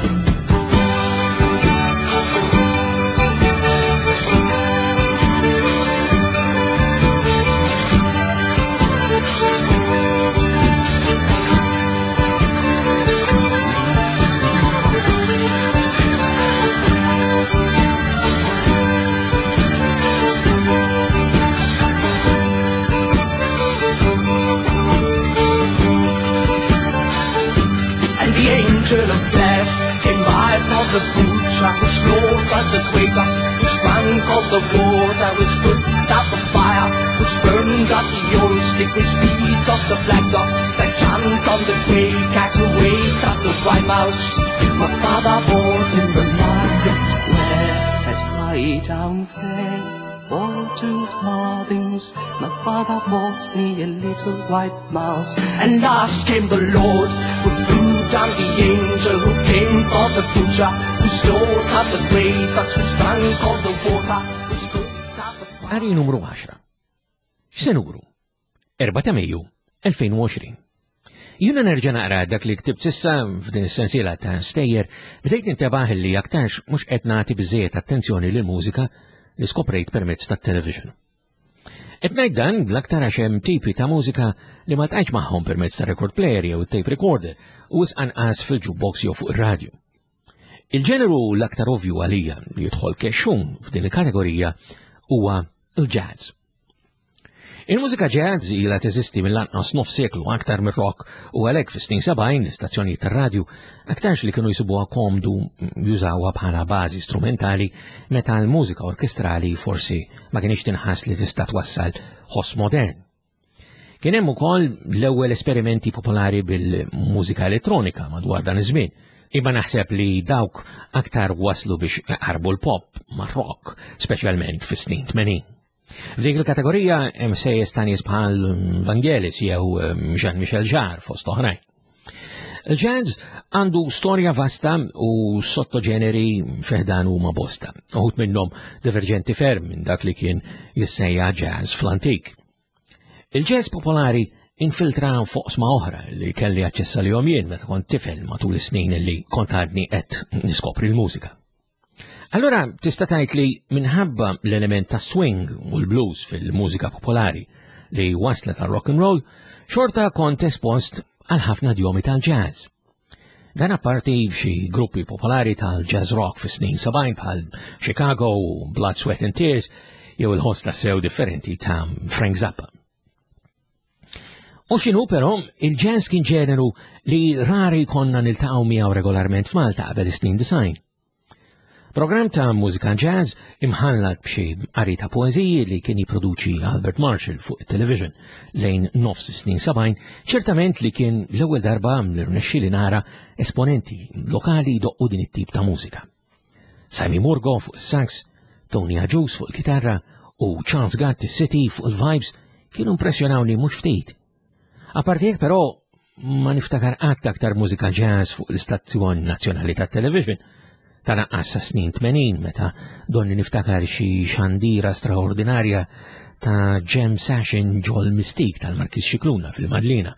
Angel of death came by for the butcher who slaughtered the grey dogs, which drank all the water, which put out the fire, which burned up the old stick, which beat up the black dog that jumped on the grey cat who ate up the white mouse my father bought in the market square at Hightown Fair for two farthings. My father bought me a little white mouse. And last came the Lord who threw down the angel who came for the butcher who slaughtered the grey dogs, which drank all the water, which put out the fire. Qari numru għaxra. X'se nuru? erbgħa ta' Mejju elfejn u għoxrin. Jiena nerġa' naqra dak li ktibt sissa f'din is-sensiela ta' stejjer, bdejt nintebaħ li aktarx mhux qed nagħti biżejjed attenzjoni lil mużika li skoprejt permezz tat-television. Qed ngħid dan bl-aktar għax hemm tipi ta' mużika li ma tqajtx magħhom permezz ta' record player jew tape recorder u wisq anqas fil-jukebox jew fuq ir-radju. Il-ġeneru l-aktar ovvju għalija li jidħol kexxun f'din il-kategorija huwa l-jazz. Il-mużika jazz ilha teżisti mill-anqas nofs seklu aktar mir-rock u għalhekk fis-snin sebgħin l-istazzjonijiet tar-radju aktarx li kienu jsibuha komdu jużawha bħala bażi strumentali meta l-mużika orkestrali forsi ma kienx tinħass li tista' twassal ħoss modern. Kien hemm ukoll l-ewwel esperimenti popolari bil-mużika elettronika madwar dan iż-żmien, imma naħseb li dawk aktar waslu biex iqarbu l-pop mar-rock, speċjalment fis-snin tmenin. F'dik il-kategorija hemm sejjes ta' nies bħal Vangelis jew Jean-Michel Jarre fost oħrajn. Il-jazz għandu storja vasta u sottoġeneri fiħdan huma bosta, uħud minnhom diverġenti ferm minn dak li kien jissejja jazz fl-antik. Il-jazz popolari infiltra foqsma oħra li kelli aċċess għalihom jien meta kont tifel matul is-snin li kont għadni qed niskopri l-mużika. Allora tista' tgħid li minħabba l-element ta' swing u l-blues fil-mużika popolari li waslet għal rock and roll, xorta kont espost għal ħafna djomi tal-jazz. Dan apparti xi gruppi popolari tal-jazz rock fis-snin sebgħin bħal Chicago u Blood, Sweat and Tears jew il-ħoss tassew differenti ta' Frank Zappa. U x'inhu però, il-jazz kien ġeneru li rari konna niltaqgħu miegħu regolarment f'Malta qabel is-snin disgħin. Programm ta' mużika jazz imħallat b'xi qari ta' poeżiji li kien jipproduċi Albert Marshall fuq it-television lejn nofs is-snin sebgħin, ċertament li kien l-ewwel darba li rnexxieli nara esponenti lokali jdoqqu din it-tip ta' mużika. Sammy Murgo fuq is-sax, Tony Agius fuq il-kitarra u Charles Gatt City fuq il-vibes kienu impressjonawni mhux ftit. Apparti hekk però ma niftakar qatt aktar mużika jazz fuq l-istazzjon nazzjonali tat-television. Ta' naqqas sa snin tmenin meta donni niftakar xi xandira straordinarja ta' jam session ġol Mistik tal-Markiż Scicluna fil-Madlina,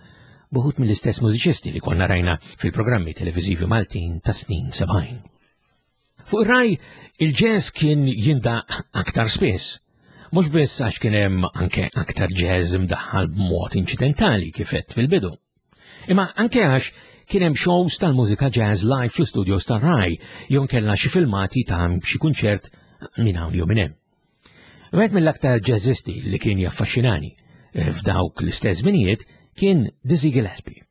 buħut mill-istess mużiċisti li konna rajna fil-programmi televiżivi Maltin ta' snin sebgħin. Fuq ir-Rai, il-jazz kien jindaq aktar spiss. Mhux biss għax kien hemm anke aktar jazz imdaħħal b'mod inċidentali kif għedt fil-bidu. Imma anke għax kien hemm shows tal-mużika jazz live fl-studios tar-Rai jew kellna xi filmati ta' xi kunċert minn hawn jew minn hemm. Wieħed mill-aktar jazzisti li kien jaffaxxinani f'dawk l-istess żminijiet kien Dizzy Gillespie.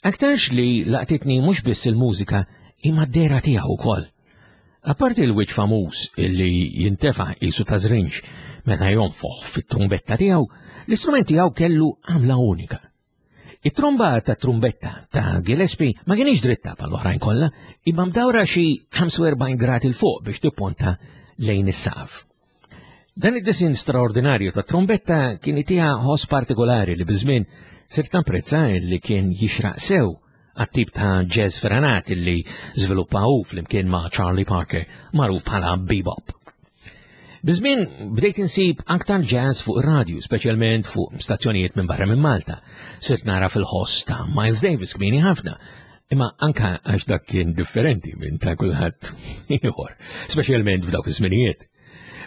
Aktarx li laqtitni mhux biss il-mużika imma d-dehra tiegħu wkoll. Apparti l-wiċċ famuż illi jintefa' qisu ta' żrinġ meta jonfoħ fit-trumbetta tiegħu, l-istrument tiegħu kellu għamla unika. It-tromba ta' trumbetta ta' Gillespie ma kienx dritta bħal oħrajn kollha, imma mdawra xi ħamsa u erbgħin grad il fuq biex tipponta lejn is-saqaf. Dan id-disin straordinarju ta' trumbetta kien itiha ħoss partikolari li biż-żmien sirt napprezza li kien jixraq sew għat-tip ta' jazz feranat li żviluppa hu flimkien ma' Charlie Parker, magħruf bħala bebop. Biż-żmien bdejt insib aktar jazz fuq ir-radju, speċjalment fuq stazzjonijiet minn barra minn Malta. Sirt nara fil-ħoss ta' Miles Davis kmieni ħafna, imma anka għax dak kien differenti minn ta' kulħadd ieħor, speċjalment f'dawk iż-żminijiet.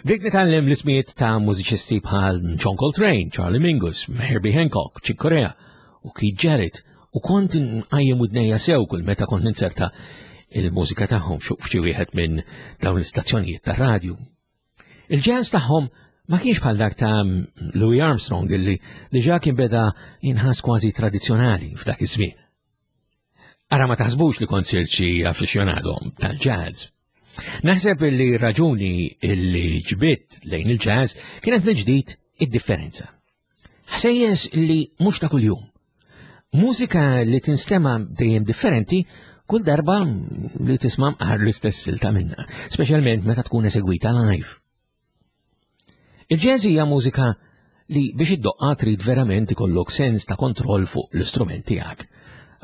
Bdejt nitgħallem l-ismijiet ta' mużiċisti bħal John Coltrane, Charlie Mingus, Herbie Hancock, Chick Corea u Keith Jarrett, u kont nqajjem widnejja sew kull meta kont ninzerta il-mużika tagħhom f'xi wieħed minn dawn l-istazzjonijiet tar-radju. Il-jazz tagħhom ma kienx bħal dak ta' Louis Armstrong illi diġà kien beda jinħass kważi tradizzjonali f'dak iż-żmien. Ara ma taħsbux li kont sirt xi aficionado tal-jazz. Naħseb li raġuni illi ġbidt lejn il-jazz kienet mill-ġdid id-differenza. Ħsejjes li mhux ta' kuljum. Mużika li tinstema' dejjem differenti kull darba li tisma' mqar l-istess silta minnha, speċjalment meta tkun esegwita live. Il-jazz hija mużika li biex iddoqqa trid verament ikollok sens ta' kontroll fuq l-istrument tiegħek.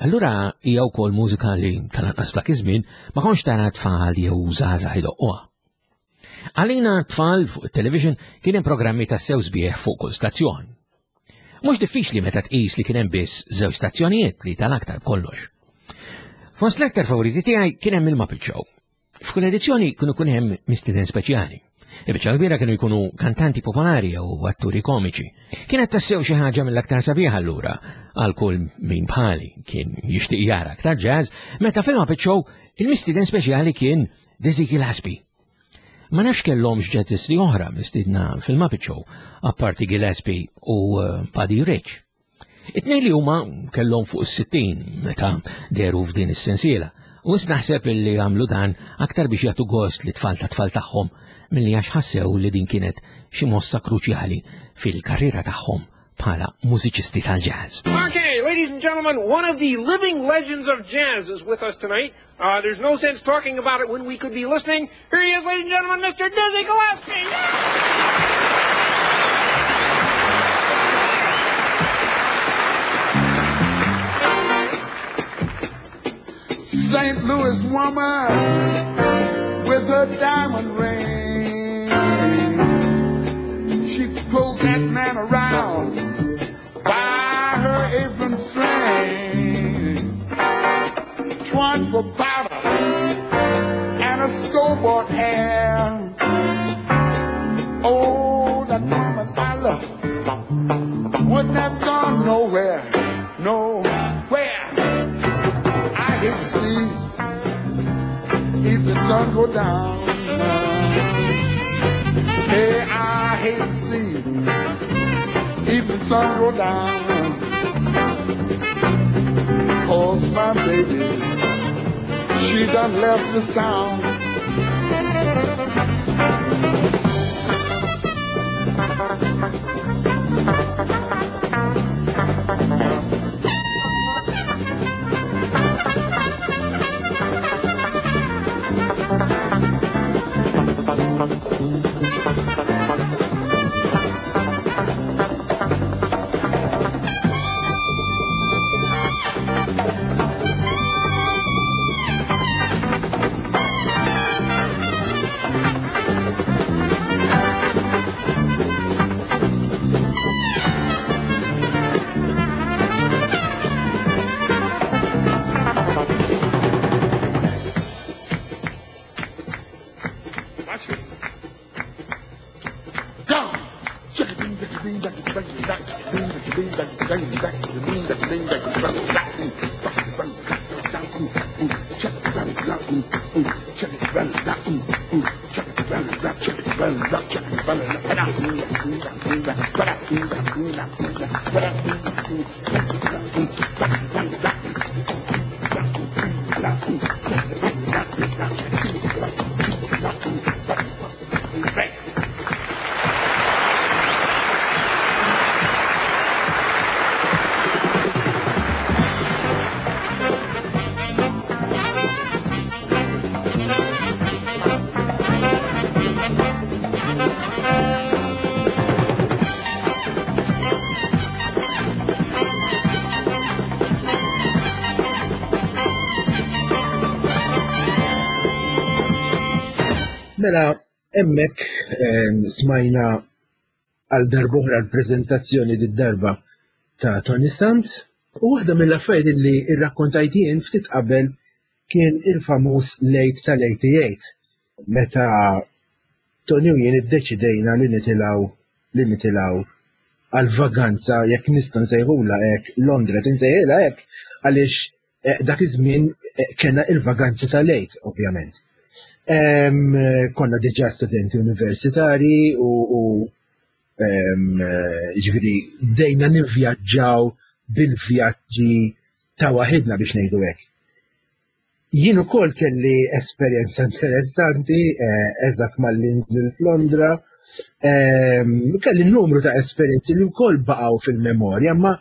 Allura hija wkoll mużika li tal-anqas f'dak iż-żmien ma kontx tara tfal jew żgħażagħ idoqquha. Għalina tfal fuq it-television kien hemm programmi ta' sew sbieħ fuq kull stazzjon. Mhux diffiċli meta tqis li kien hemm biss żewġ stazzjonijiet li tal-aktar b'kollox. Fost l-aktar favoriti tiegħi kien hemm il-Muppet Show. F'kull edizzjoni kienu jkun hemm mistieden speċjali. Il-biċċa kbira kienu jkunu kantanti popolari jew atturi komiċi. Kienet tassew xi ħaġa mill-aktar sabiħa allura għal kull min bħali kien jixtieq jara aktar jazz, meta fil-Muppet Show il-mistieden speċjali kien Dizzy Gillespie. Ma nafx kellhomx jazzisti oħra mistiedna fil-Muppet Show, apparti Gillespie u eh, Buddy Rich. It-tnejn li huma kellhom fuq is-sittin meta dehru f'din is-sensiela, u naħseb li għamlu dan aktar biex jagħtu gost li tfal ta' tfal tagħhom milli għax ħassew li din kienet xi mossa kruċjali fil-karriera tagħhom bħala mużiċisti tal-jazz. Okay, ladies and gentlemen, one of the living legends of jazz is with us tonight. Uh, there's no sense talking about it when we could be listening. Here he is, ladies and gentlemen, Mister Dizzy Gillespie! Saint Louis woman with her diamond ring. She pulled that man around by her apron string. Twine for powder and a scoreboard hair. Oh, that woman I love wouldn't have gone nowhere, nowhere. I hate to see if the sun go down. Hey, I hate to see if the sun go down. 'Cause my baby, she done left this town. Mela, hemmhekk smajna għal darb'oħra l-preżentazzjoni d-darba ta' Tony Sant, u waħda mill-affarijiet li rrakkontajt jien ftit qabel kien il-famuż late tal-eighty-eight, meta Tony u jien iddeċidejna li nitilgħu li nitilgħu għal vaganza, jekk nista' nsejħulha hekk, Londra tinsejħilha hekk, għaliex dak iż-żmien kellna il-vaganzi tal-late, ovvjament. Konna diġà studenti universitari u ġifieri bdejna nivvjaġġaw bil-vjaġġi ta' waħidna biex ngħidu hekk. Jien ukoll kelli esperjenza interessanti, eżatt malli nżilt Londra, kelli numru ta' esperjenzi li wkoll baqgħu fil-memorja, ma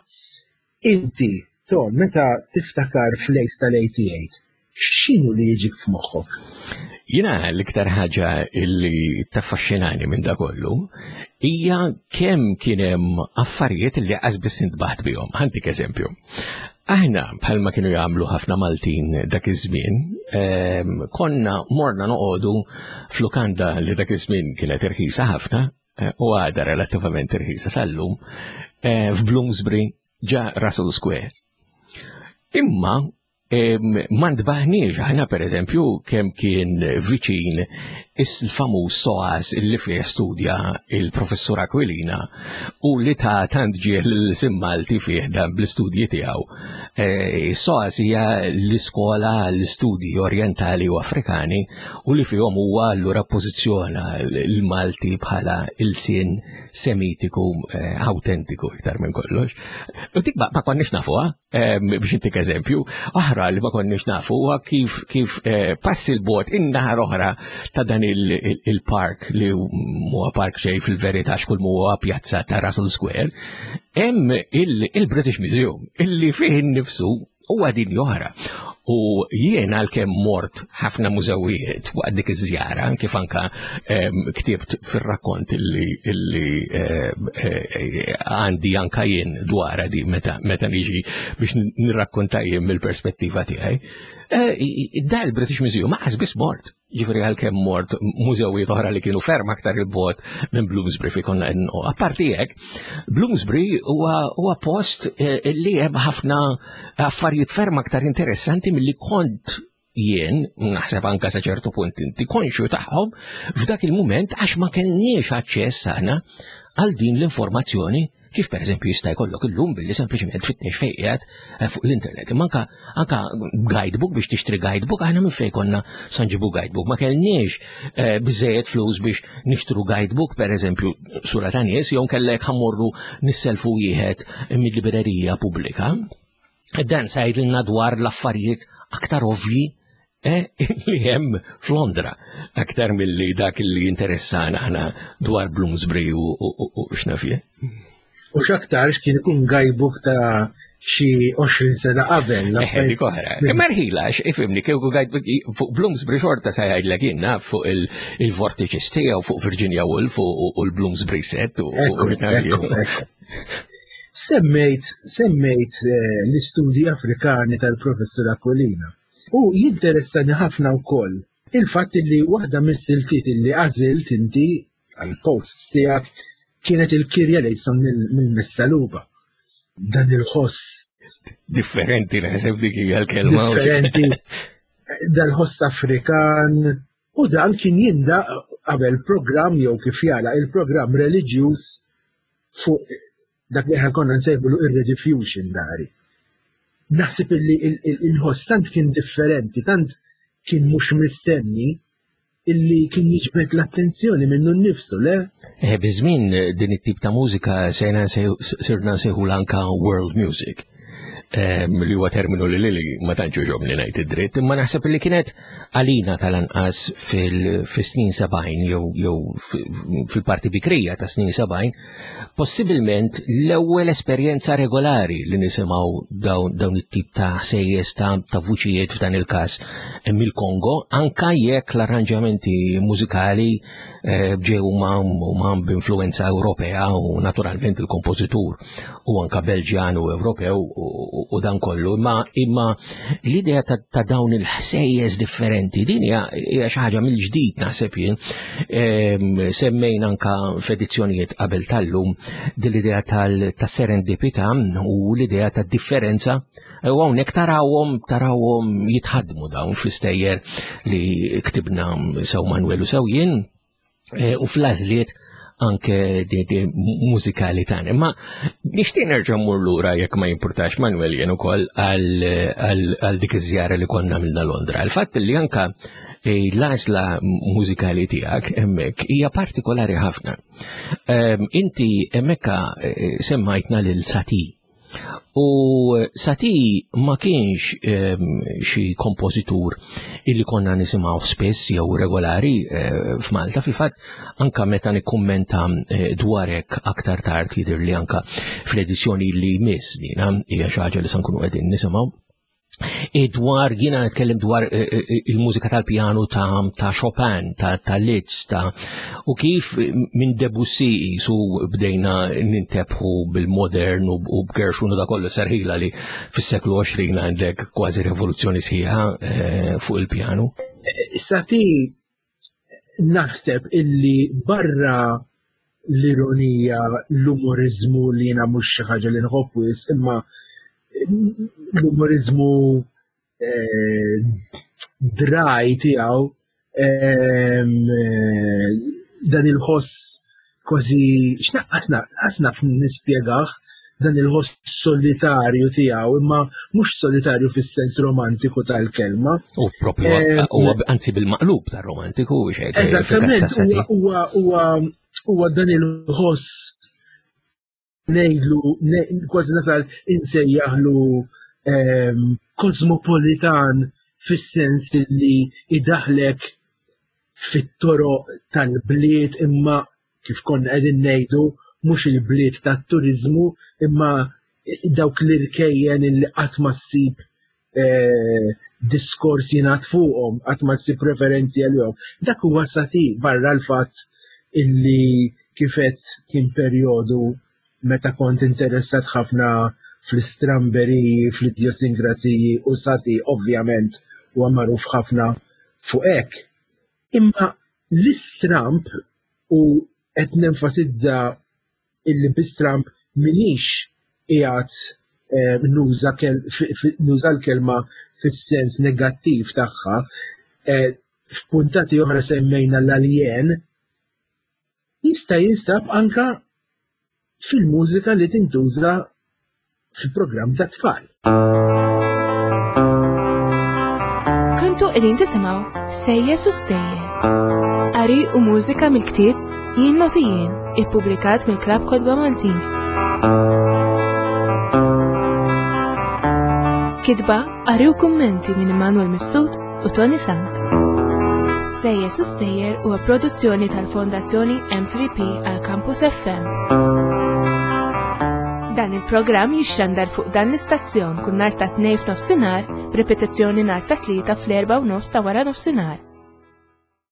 inti, Ton, meta tiftakar fl-late tal-eighty-eight, x'inhu li jiġik f'moħħok? Jiena l-iktar ħaġa illi taffaxxinani minn da kollu hija kemm kien hemm affarijiet li qas biss intbaħt bihom. Ħantik eżempju. Aħna bħalma kienu jagħmlu ħafna Maltin dak iż-żmien, konna morna noqogħdu f'lukanda li dak iż-żmien kienet irħisa ħafna u għadha relattivament irħisa sal-lum, f'Bloomsbury ġa Russell Square. Imma Ma ntbaħniex aħna pereżempju kemm kien viċin il-famuż SOAS li fih studja il-professur Aquilina u li ta' tant ġieħ l-ilsien Malti fih dan bl-istudji tiegħu. E, SOAS hija l-iskola l-istudji orientali u Afrikani u li fihom huwa allura pożizzjona l-Malti bħala ilsien semitiku eh, autentiku iktar minn kollox. U dik ma konniex nafuha, biex intik eżempju, oħra li ma konniex nafu huwa kif kif eh, passi l-bot in-naħar oħra ta' dan il-park li huwa park xejn fil-verità xkull huwa pjazza ta' Russell Square, hemm il-British Museum illi fih innifsu huwa din oħra. U jien għalkemm mort ħafna mużewijiet waqt dik iż-żjara, kif anka ktibt fir-rakkont illi għandi anka jien dwar di meta meta niġi biex nirrakkonta jien mill-perspettiva tiegħi. Da l-British Museum ma biss mort. Ġifieri għalkemm mort mużewijiet oħra li kienu ferm aktar il-bot minn Bloomsbury fi konna u apparti hekk, Bloomsbury huwa post li hemm ħafna affarijiet ferm aktar interessanti milli kont jien, naħseb anka sa ċertu punt inti konxju tagħhom f'dak il-mument għax ma kellniex aċċess aħna għal din l-informazzjoni kif per eżempju jista' jkollok illum billi sempliċement tfittex fejn qiegħed fuq l-internet. Imma anka anka guidebook biex tixtri guidebook aħna minn fejn konna sa nġibu guidebook. Ma kellniex biżejjed flus biex nixtru guidebook per eżempju sura ta' nies jew kellek ħammorru nisselfu wieħed mill-librerija pubblika. Dan sa jgħidilna dwar l-affarijiet aktar ovvji li hemm f'Londra aktar milli dak li interessana aħna dwar Bloomsbury u x'naf jien. U x'aktarx kien ikun guidebook ta' xi għoxrin sena qabel. Eħe, dik oħra. Imma rħila, ifhimni, kieku guidebook fuq Bloomsbury xorta sa jgħidlek jien naf fuq il-vortices tiegħu fuq Virginia Woolf u l-Bloomsbury set u Semmejt, semmejt l-istudji Afrikani tal-professur Aquilina. U jinteressani ħafna wkoll il-fatt li waħda mis-siltiet li għażilt inti għal-posts tiegħek kienet il-Kirja Lejson mill-Missaluba. Dan il-ħoss. Differenti, naħseb dik hija l-kelma. Differenti. Dal-ħoss Afrikan. U dan kien jindaq qabel programm jew kif jala il-programm reliġjuż fuq dak li aħna konna nsejħulu ir-Rediffusion dari. Naħseb illi il-ħoss tant kien differenti, tant kien mhux mistenni illi kien jiġbed l-attenzjoni minnu nnifsu, le? Eh, biż-żmien din it-tip ta' mużika sejna sirna nsejħu anka world music. Li huwa terminu li lili ma tantx jogħġobni ngħid id-dritt, imma naħseb li kienet għalina tal-anqas fil-snin sebgħin jew jew fil-parti bikrija ta' snin sebgħin, possibilment l-ewwel esperjenza regolari li nisimgħu dawn dawn it-tip ta' ħsejjes ta' ta' vuċijiet f'dan il-każ mill-Kongo, anka jekk l-arranġamenti mużikali ġew ma' b'influenza Ewropea u naturalment il-kompożitur u anka Belġjan u Ewropew u dan kollu, imma imma l-idea ta', ta' dawn il-ħsejjes differenti din hija xi ħaġa mill-ġdid naħseb jien. Semmejna anka f'edizzjonijiet qabel tal-lum din l-idea tas-serendipità u l-idea tad-differenza u hawnhekk tarawhom tarawhom jitħaddmu dawn fl-istejjer li ktibna sew Manuel u sew jien u fl-għażliet anke di, di mużikali tagħna. Imma nixtieq nerġa' mmur lura jekk ma jimpurtax Manuel jien ukoll għal dik iż-żjara li konna għamilna Londra. Il-fatt li anka l-għażla mużikali tiegħek hemmhekk hija partikolari ħafna. Inti hemmhekk semmajtna lil Satie. U Satie ma kienx xi kompożitur illi konna nisimgħu spiss jew regolari f'Malta. Fil-fatt anka meta nikkummenta dwar hekk aktar tard jidher li anka fl-edizzjoni li jmiss dina hija xi ħaġa li se nkunu qegħdin nisimgħu. Dwar jiena nitkellem dwar il-mużika tal-pjanu ta', ta Chopin, ta', ta Liszt, ta' u kif minn Debussy su bdejna nintebħu bil-modern u b'Gershwin u da kollu serħila li fis-seklu għoxrin għandek kważi rivoluzzjoni sħiħa fuq il-pjanu. Satie naħseb illi barra l-ironija, l-umorizmu li jiena mhux xi ħaġa li nħobb wisq, imma l-umorizmu eh, dry tiegħu, ehm, eh, dan il-ħoss kważi x'naqqas naf nispjegah, dan il-ħoss solitarju tiegħu, imma mhux solitarju fis-sens romantiku tal-kelma. U propju Eh, huwa anzi bil-maqlub tar-romantiku xejn. Eżattament, huwa huwa huwa dan il-ħoss ngħidlu kważi nasal insejjaħlu ehm, kosmopolitan fis-sens li idaħlek fit-toroq tal-bliet, imma kif konna qegħdin ngħidu mhux il-bliet tat-turiżmu, imma dawk l-irkejjen illi qatt ma ssib eh, diskors jingħad fuqhom, qatt ma ssib referenzi għalihom. Dak huwa Satie, barra l-fatt illi kifet kien perjodu meta kont interessat ħafna fl-istramberiji, fl-idjosinkrasiji, u Satie ovvjament huwa magħruf ħafna fuq hekk. Imma l-istramp, u qed nenfasizza illi bi-stramp minix qiegħed eh, nuża nuża l-kelma fis-sens negattiv tagħha, eh, f'puntati oħra semmejna l-alien, jista' jinstab anka fil-mużika li tintuża fil-programm ta' tfal. Kontu qegħdin tisimgħu Sejjes u Stejjer. Qari u mużika mill-ktieb Jien Noti Jien, ippubblikat mill-Klabb Kotba Maltin. Kitba, qari u kummenti minn Immanuel Mifsud u Toni Sant. Sejjes u Stejjer huwa produzzjoni tal-Fondazzjoni M three P għal Campus F M. Dan il-programm jixxandar fuq dan l-istazzjon kull nhar ta' Tnejn f'nofsinhar, b'ripetizzjoni nhar ta' Tlieta fl-erba' u nofs ta' wara nofsinhar.